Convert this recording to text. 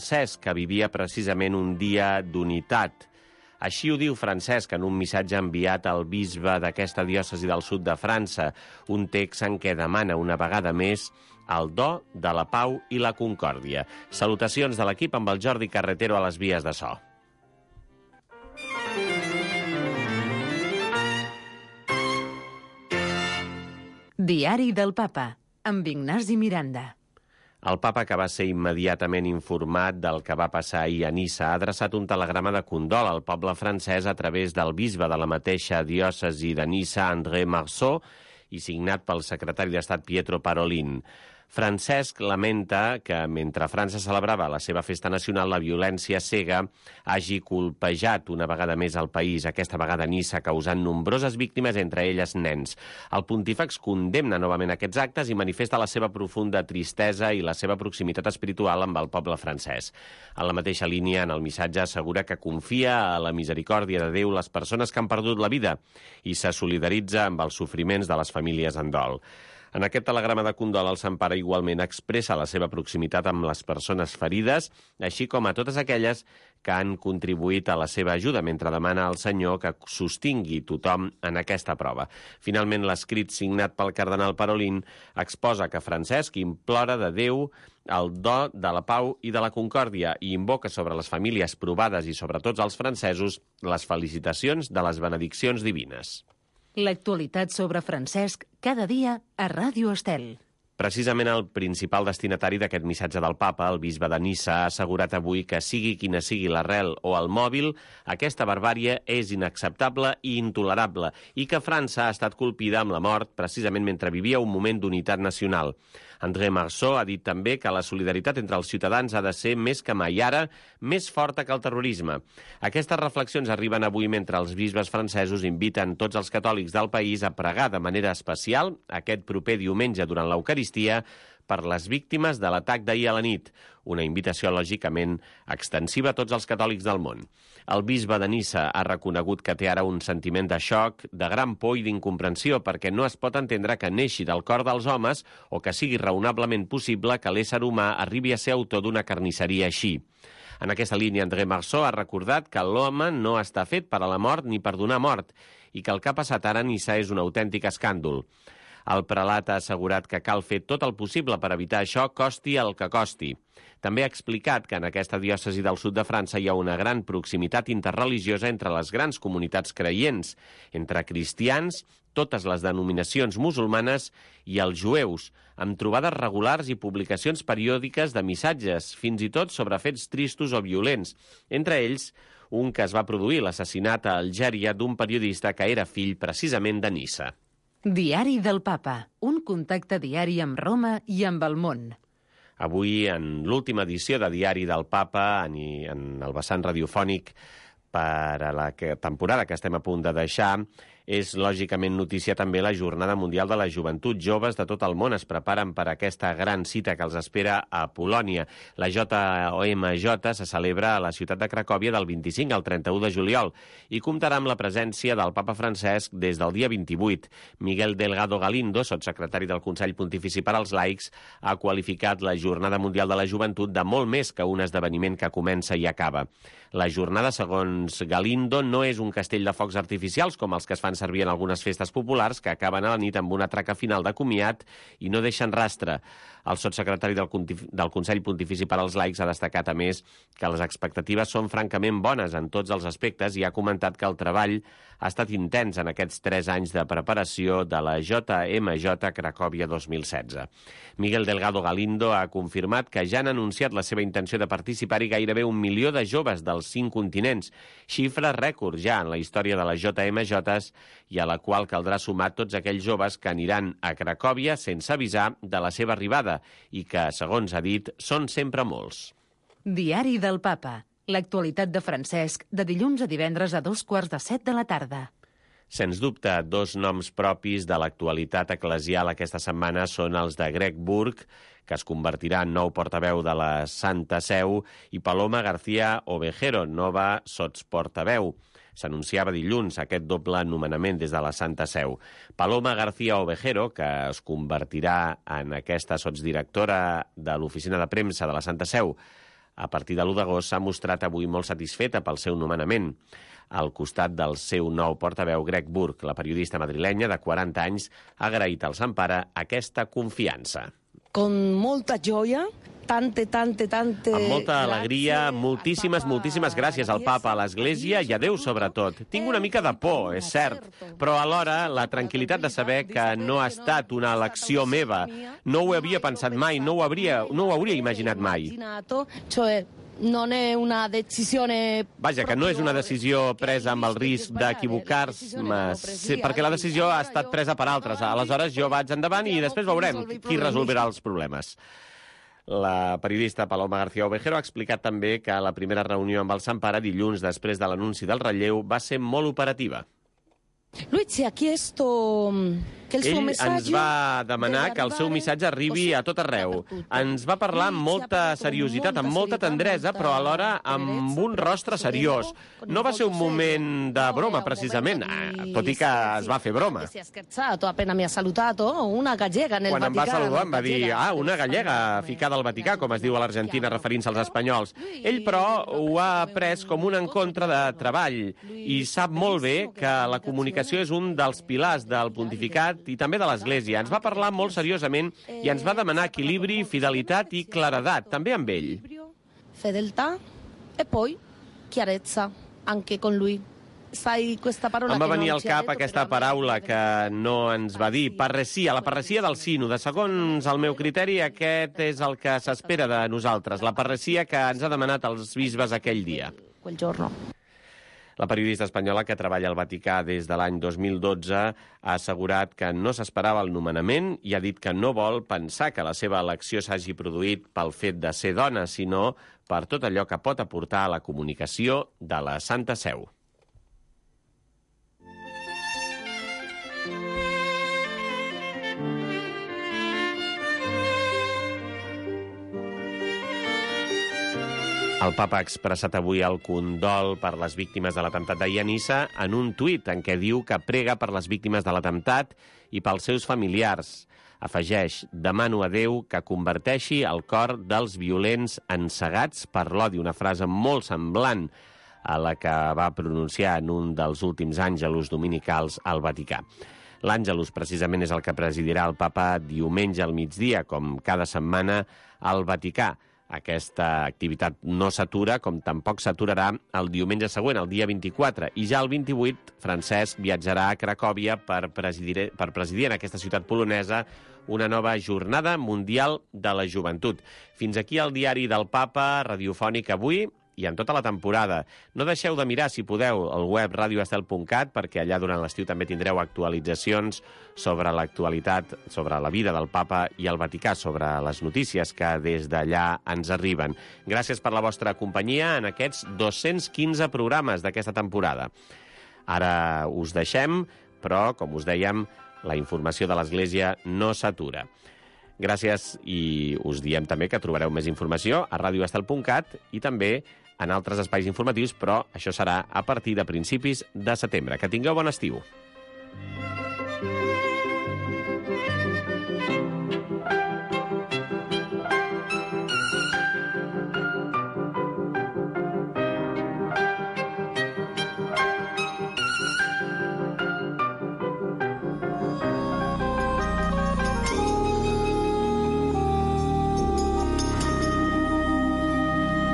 Francesc, que vivia precisament un dia d'unitat. Així ho diu Francesc en un missatge enviat al bisbe d'aquesta diòcesi del sud de França, un text en què demana una vegada més el do de la pau i la concòrdia. Salutacions de l'equip amb el Jordi Carretero a les vies de so. Diari del Papa, amb Ignasi Miranda. El papa, que va ser immediatament informat del que va passar ahir a Niça, ha adreçat un telegrama de condol al poble francès a través del bisbe de la mateixa diòcesi de Niça, André Marceau, i signat pel secretari d'Estat Pietro Parolin. Francesc lamenta que, mentre França celebrava la seva festa nacional, la violència cega hagi colpejat una vegada més el país, aquesta vegada a Niça, causant nombroses víctimes, entre elles nens. El pontífex condemna novament aquests actes i manifesta la seva profunda tristesa i la seva proximitat espiritual amb el poble francès. En la mateixa línia, en el missatge assegura que confia a la misericòrdia de Déu les persones que han perdut la vida i se solidaritza amb els sofriments de les famílies en dol. En aquest telegrama de condol, el Sant Pare igualment expressa la seva proximitat amb les persones ferides, així com a totes aquelles que han contribuït a la seva ajuda, mentre demana al Senyor que sostingui tothom en aquesta prova. Finalment, l'escrit signat pel cardenal Parolin exposa que Francesc implora de Déu el do de la pau i de la concòrdia i invoca sobre les famílies provades i sobre tots els francesos les felicitacions de les benediccions divines. L'actualitat sobre Francesc cada dia a Ràdio Estel. Precisament el principal destinatari d'aquest missatge del papa, el bisbe de Niça, ha assegurat avui que sigui quina sigui l'arrel o el mòbil, aquesta barbàrie és inacceptable i intolerable i que França ha estat colpida amb la mort precisament mentre vivia un moment d'unitat nacional. André Marceau ha dit també que la solidaritat entre els ciutadans ha de ser més que mai ara, més forta que el terrorisme. Aquestes reflexions arriben avui mentre els bisbes francesos inviten tots els catòlics del país a pregar de manera especial aquest proper diumenge durant l'Eucaristia per les víctimes de l'atac d'ahir a la nit, una invitació lògicament extensiva a tots els catòlics del món. El bisbe de Niça ha reconegut que té ara un sentiment de xoc, de gran por i d'incomprensió, perquè no es pot entendre que neixi del cor dels homes o que sigui raonablement possible que l'ésser humà arribi a ser autor d'una carnisseria així. En aquesta línia, André Marceau ha recordat que l'home no està fet per a la mort ni per donar mort i que el que ha passat ara a Niça és un autèntic escàndol. El prelat ha assegurat que cal fer tot el possible per evitar això, costi el que costi. També ha explicat que en aquesta diòcesi del sud de França hi ha una gran proximitat interreligiosa entre les grans comunitats creients, entre cristians, totes les denominacions musulmanes i els jueus, amb trobades regulars i publicacions periòdiques de missatges, fins i tot sobre fets tristos o violents, entre ells un que es va produir, l'assassinat a Algèria d'un periodista que era fill precisament de Niça. Diari del Papa, un contacte diari amb Roma i amb el món. Avui, en l'última edició de Diari del Papa, en el vessant radiofònic per a la temporada que estem a punt de deixar, és lògicament notícia també la Jornada Mundial de la Joventut. Joves de tot el món es preparen per aquesta gran cita que els espera a Polònia. La JOMJ se celebra a la ciutat de Cracòvia del 25 al 31 de juliol i comptarà amb la presència del papa Francesc des del dia 28. Miguel Delgado Galindo, sotssecretari del Consell Pontifici per als Laics, ha qualificat la Jornada Mundial de la Joventut de molt més que un esdeveniment que comença i acaba. La jornada, segons Galindo, no és un castell de focs artificials com els que es fan servir en algunes festes populars que acaben a la nit amb una traca final de comiat i no deixen rastre. El sotssecretari del Consell Pontifici per als Laics ha destacat, a més, que les expectatives són francament bones en tots els aspectes i ha comentat que el treball ha estat intens en aquests 3 anys de preparació de la JMJ Cracòvia 2016. Miguel Delgado Galindo ha confirmat que ja han anunciat la seva intenció de participar-hi gairebé 1 milió de joves dels 5 continents, xifra rècord ja en la història de les JMJs i a la qual caldrà sumar tots aquells joves que aniran a Cracòvia sense avisar de la seva arribada i que, segons ha dit, són sempre molts. Diari del Papa. L'actualitat de Francesc de dilluns a divendres a 2:15 de la tarda. Sens dubte, 2 noms propis de l'actualitat eclesial aquesta setmana són els de Greg Burke, que es convertirà en nou portaveu de la Santa Seu, i Paloma García Ovejero, nova sotsportaveu. S'anunciava dilluns aquest doble nomenament des de la Santa Seu. Paloma García Ovejero, que es convertirà en aquesta sotsdirectora de l'oficina de premsa de la Santa Seu, a partir de l'1 d'agost, s'ha mostrat avui molt satisfeta pel seu nomenament. Al costat del seu nou portaveu, Greg Burke, la periodista madrilenya de 40 anys, ha agraït al Sampara aquesta confiança. Con molta joia, tante amb molta alegria, moltíssimes gràcies al papa, a l'Església i a Déu sobretot. Tinc una mica de por, és cert, però alhora la tranquil·litat de saber que no ha estat una elecció meva. No ho havia pensat mai, no ho hauria imaginat mai. Non è una decisione... Vaja, que no és una decisió presa amb el risc d'equivocar-se, perquè la decisió ha estat presa per altres. Aleshores jo vaig endavant i després veurem qui resolverà els problemes. La periodista Paloma García Ovejero ha explicat també que la primera reunió amb el Sampara dilluns després de l'anunci del relleu va ser molt operativa. Lui ci ha chiesto que el suo messaggio... Ell ens va demanar que el seu missatge arribi a tot arreu. Ens va parlar amb molta seriositat, amb molta tendresa, però alhora amb un rostre seriós. No va ser un moment de broma, precisament, tot i que es va fer broma. Si ha scherzato, appena mi ha salutato, una gallega nel Vaticano. Quan em va saludar em va dir, una gallega ficada al Vaticà, com es diu a l'Argentina, referint-se als espanyols. Ell, però, ho ha pres com un encontre de treball i sap molt bé que la comunicació és un dels pilars del pontificat i també de l'Església. Ens va parlar molt seriosament i ens va demanar equilibri, fidelitat i claredat, també amb ell. Fedeltà e poi chiarezza, anche con lui. Em va venir al cap aquesta paraula que no ens va dir, parresia, la parresia del sínode. Segons el meu criteri, aquest és el que s'espera de nosaltres, la parresia que ens ha demanat els bisbes aquell dia. Quel giorno. La periodista espanyola que treballa al Vaticà des de l'any 2012 ha assegurat que no s'esperava el nomenament i ha dit que no vol pensar que la seva elecció s'hagi produït pel fet de ser dona, sinó per tot allò que pot aportar a la comunicació de la Santa Seu. El papa ha expressat avui el condol per les víctimes de l'atemptat d'ahir a Niça en un tuit en què diu que prega per les víctimes de l'atemptat i pels seus familiars. Afegeix, demano a Déu que converteixi el cor dels violents encegats per l'odi, una frase molt semblant a la que va pronunciar en un dels últims àngelus dominicals al Vaticà. L'àngelus precisament és el que presidirà el papa diumenge al migdia, com cada setmana al Vaticà. Aquesta activitat no s'atura, com tampoc s'aturarà el diumenge següent, el dia 24. I ja el 28, Francesc viatjarà a Cracòvia per presidir en aquesta ciutat polonesa una nova jornada mundial de la joventut. Fins aquí el diari del Papa, radiofònic avui i en tota la temporada. No deixeu de mirar, si podeu, el web radioestel.cat, perquè allà durant l'estiu també tindreu actualitzacions sobre l'actualitat, sobre la vida del papa i el Vaticà, sobre les notícies que des d'allà ens arriben. Gràcies per la vostra companyia en aquests 215 programes d'aquesta temporada. Ara us deixem, però, com us dèiem, la informació de l'Església no s'atura. Gràcies i us diem també que trobareu més informació a radioestel.cat i també en altres espais informatius, però això serà a partir de principis de setembre. Que tingueu bon estiu.